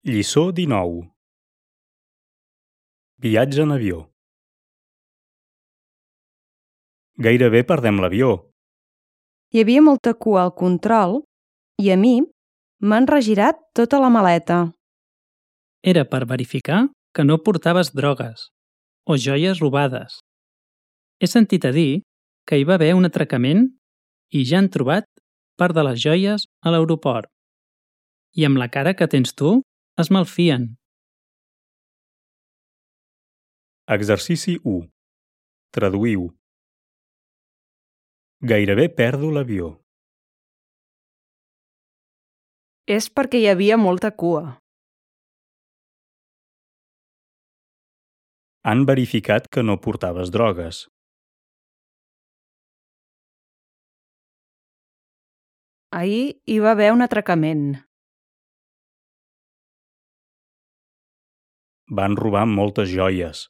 Lliçó 19. Viatge en avió. Gairebé perdem l'avió. Hi havia molta cua al control i a mi m'han regirat tota la maleta. Era per verificar que no portaves drogues o joies robades. He sentit a dir que hi va haver un atracament i ja han trobat part de les joies a l'aeroport. I amb la cara que tens tu, es malfien. Exercici 1. Traduïu. Gairebé perdo l'avió. És perquè hi havia molta cua. Han verificat que no portaves drogues. Ahir hi va haver un atracament. Van robar moltes joies.